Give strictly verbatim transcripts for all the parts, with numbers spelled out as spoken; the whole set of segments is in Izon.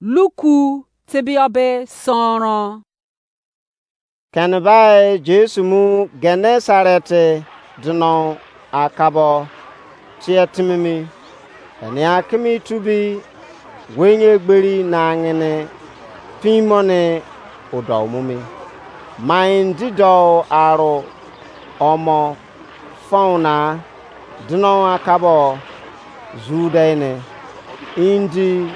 Luku tebia be sọnrọn. Kene bai Jesu mu Genesaret deno akabo tie timi mi. Enia kimi tubi wenye egberi na ngene pin mo ne odau mu mi. Mai ndi dou aro omo fon na deno akabo zu dei ne, indi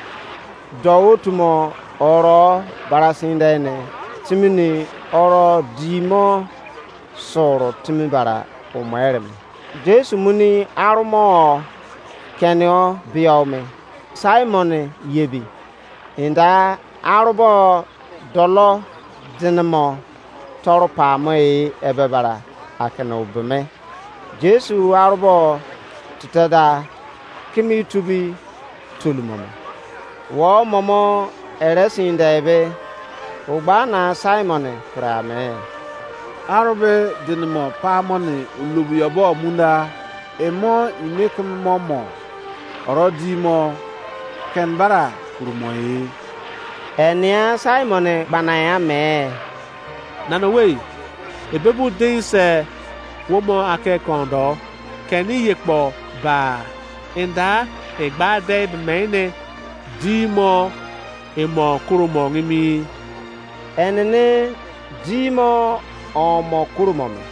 dou otu mo oro barasin dei ne, timi ni oro di mo soro timi bara omo ere me. Jesu muni arumo kenio bio me, Simon yebi. Inda arubo dolo dinimo toru pamo e ebe bara akene obeme. Jesu arubo titeda kimi tubi tolumome. Wo momo ere sin de ebe, ogba na Simon pre ame. Arube dinimo pamo ni olubu yobo munda, emo ime keme mo mo, oro di mo ken bara kurumo e. Enia Simon gbana ya me. Nana owei, ebe bu dein se wo mo ake kondo, keni ye kpo ba, enda egba de be mene di mo emo kuro mo ngimi. Enene di mo omo kuro mo me.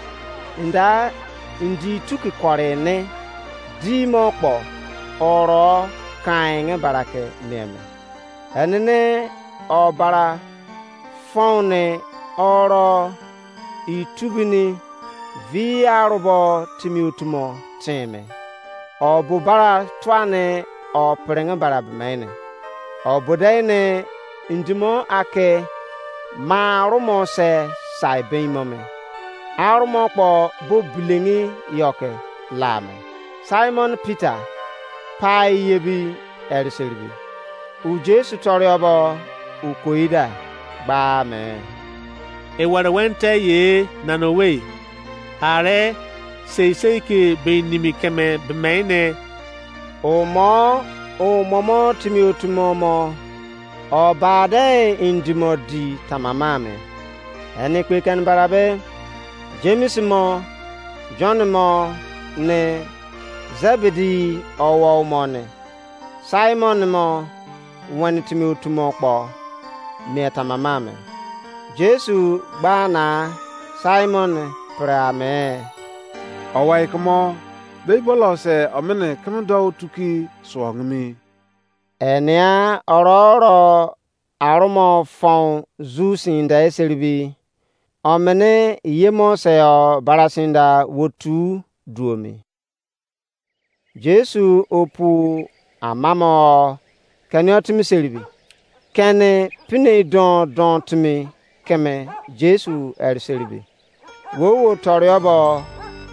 Nda ndi tuki kore ne di mo kpo oro kain nge barake neme. Enene obara fone oro itubini vi arubo timi otumo teme. Obu bara tuane o perenge bara bemene. Obu de ne ndimo ake ma arumo se sai beimo me. Arumo kpo bo bilengi yoke la me. Simon Peter pai yebi eriseribi. U Jesu toriobo u koida gba me. Ewere wente ye nana owei. Are sei sei ke be nimi keme bemene. Omo omomo timi otumo mo obade indimo di tamama me. Eni kpe ken barabe James mo John mo ne Zebedi owo mo ne Simon mo weni timi otumo kpo mie tamama me. Jesu gba na Simon pre ame. Owai kumo be bolo se omene keme do tuki suo ngimi. Enia oro oro arumo fon zu sin da eseribi. Omene yemo se o barasinda wotu duomi. Jesu opu amamo keni otimiseribi. Keni pine don don timi keme Jesu eriseribi. Wo wo toriobo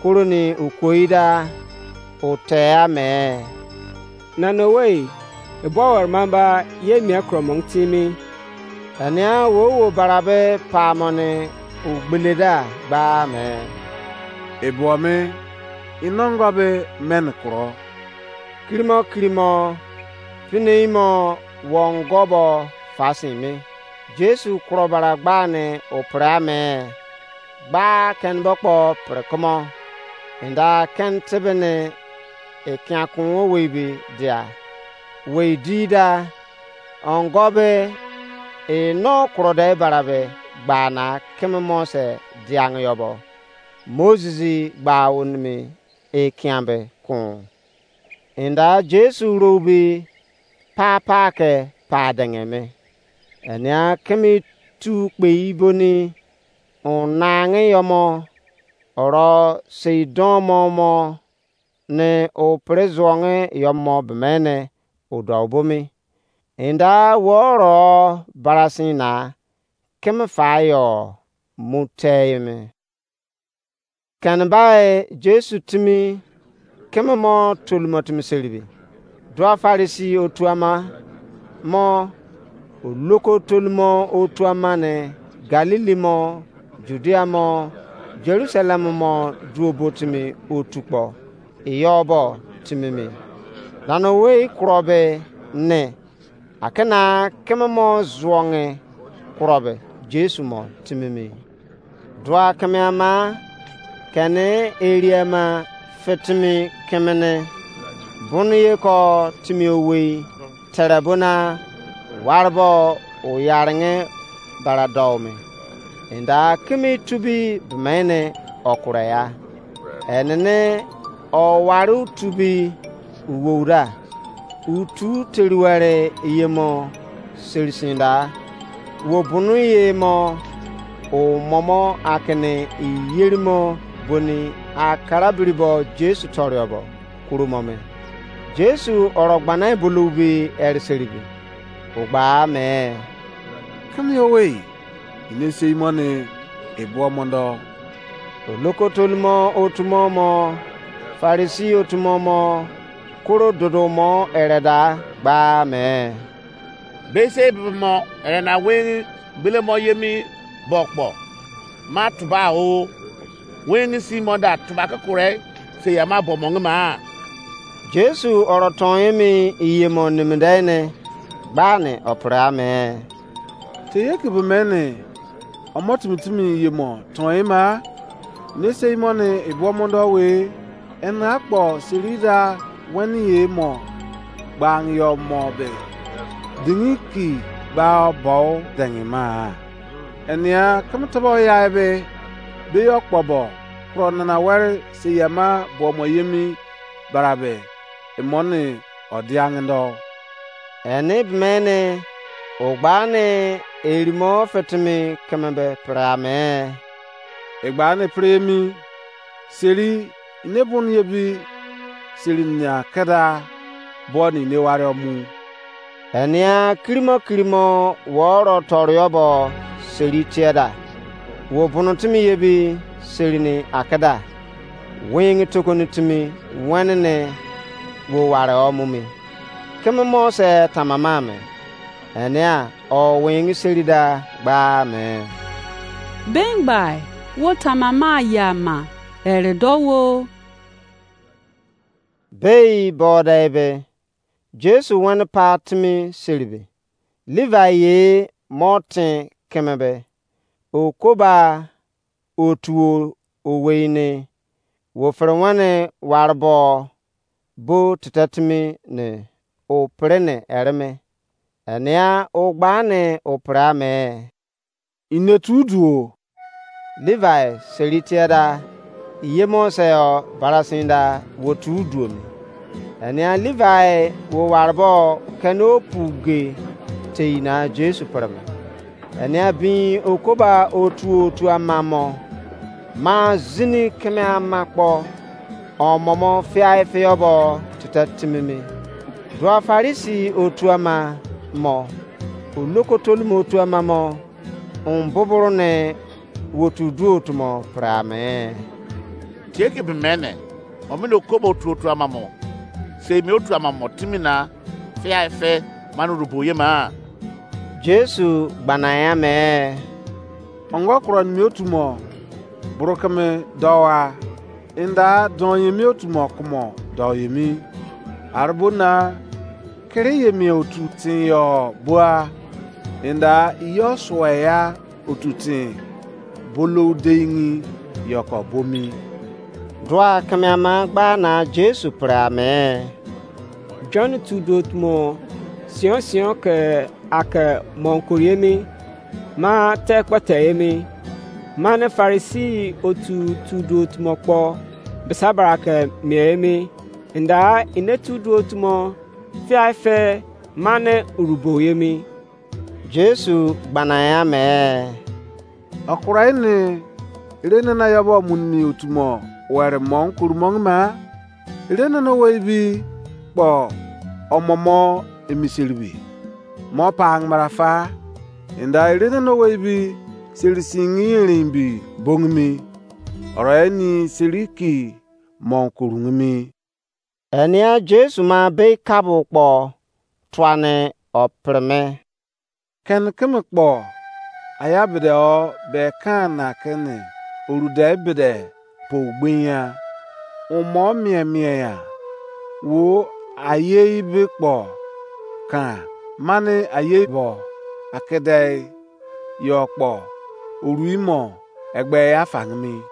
kuroni ukoida utea me. Nana owei, ebo were mamba ye mia kromo timi. Enia wo wo barabe pamoni ugbeleda gba me. Ebuo me inongo be men kuro. Kirimo kirimo pine imo wongobo fasin me. Jesu kuro bara gbani opre ame gba keni bo kpo pre kumo. Inda keni tebeni ekiankun owei be dia. Wei di da ongo be eno kuro de bara be gba na keme mo se diange yobo. Moses gba onimi ekian be kun. Inda Jesu rou be pa pa ke pa denge me. Enia keme tu kpei boni unange yomo oro sei don mo mo ne upre zuonge yomo bemene udo bomi. Inda wo oro barasin na keme fa yo mu tei me. Kene bai Jesu timi keme mo tolumo timi seribi. Dua Farisi otu ama mo oloko tolumo otu ama ne Galili mo Judia mo Jerusalem mo duobo timi otu kpo iyo bo timi mi. Nana owei kuro be ne Akena keme mo zuonge kurobe Jesu mo timimi. Dua keme ama kene eri ama fitimi kemene buni ye ko timi owei tere bona warbo uyaringe bara dou me. Enda kimi tubi bemene okure ya. Enene o wari utubi uwou da. Utu teruwere yemo serisin da. Wo bunu ye mo o momo akene iyerimo boni akara biribo Jesu toriobo kurumo me. Jesu oro gbana bulubi eriseribi. Ugba me. Kimi owei, ine sei mo ni ebuo mondo. Olokotolimo otumo mo, Farisi otumo mo, koro dodo mo ereda gba me. Bese bibi mo erena wengi gbele mo yemi bo kpo. Ma tuba o. Wengi si mo da tuba ke kure se ya ma bo mo ngi ma. Jesu oro ton emi iye mo nimidene gbani opre ame. Te ye ke be mene omo timi timi ye mo ton ema. Ne sei mo ne ebo mondo we ena akpo seri da weni ye mo gbang yo mo be dingi ki gba bo dengi ma. Enia kama tabo ya be be yo kpo bo kro nana wari se yama bo mo yemi barabe emoni odiangindo. Eni bimene ogbani erimo fitimi keme be pirame. Egbani piremi seri ine bun ye bi seri nia keda bo ni ne wari omu. Enia kirimo kirimo woro toriobo seri tieda. Wo bunu timi ye bi seri ni akeda. Wingi tokoni timi wenene wo ware omumi. Keme mo se tamama me. Enia o wingi seri da gba me. Bengbai wo tamama ya ma ere do wo. Bei boda ebe Jesu wene pa timi seribe. Levi ye mo tin keme be okoba otuo owei ne wo fere wene warbo bo tete timi ne o pere ne ereme. Enia o gba ne o pere ame. Ine tu duo. Levi seri tieda iye mo se o barasin da wo tu duo mi. Enia Levi wo warbo kene opu ge tei na Jesu pere me. Enia bin okoba otu otu ama mo ma zini keme ama kpo omomo fiai fiobo tete timimi. Dua Farisi otu ama mo olokotolimo otu ama mo un buburu ne wotu duo tumo pere ame. Tie ke be mene omini okobo otu otu ama mo sei mi otu ama mo timi na fia efe mane orubo ye ma. Jesu gbana ya me. Ongo kuro nimi otu mo buru keme dowa inda don yemi otu mo kumo do yemi. Arbo na kiri yemi otu tin yo bua inda iyo sue ya otu tin bolou deingi yoko bomi. Dua keme ama gba na Jesu pre ame. John tu do tumo sion sion ke ake monkori emi ma te kpete emi ma ne Farisi otu tu do tumo kpo bisa bara ke mie emi nda ine tu do tumo fiai fe ma ne urubo emi. Jesu gbana ya me. Okurai ni ire nana yabo munimi otumo were mo nkurumong ma ire nana wei bi kpo omomo emiseribi mo pa angmara fa inda ire nana wei bi seri singi erin bi bongimi oro eni seri ki mo nkurungimi. Enia Jesu ma bei kabo kpo tuane opreme. Ken keme kpo aya bede o be kan na kene orude bede po gbinya umo mie mie ya wo aye ibe kpo kan mani ayei bo akedei yo kpo orui mo egbe ya fangimi.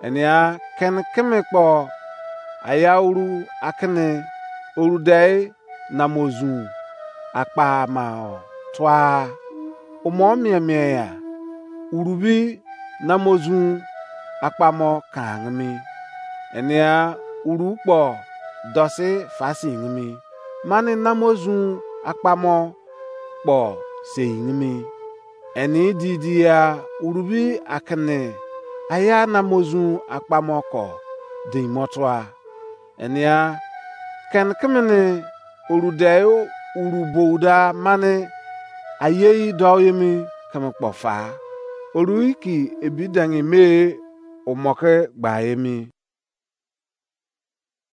Enia kene keme kpo aya uru akene orudei namozun akpa ma tua. Umo mie mie ya urubi namozun akpamo kangimi. Enia uru kpo dosi fasingimi. Mani namozun akpamo kpo seingimi. Eni didia urubi akene aya namozun akpamo ko deinmo tua. Enia kene kemene orudei uru bouda mani ayei dou yemi keme kpo fa. Orui ki ebi dangi me umoke gba emi.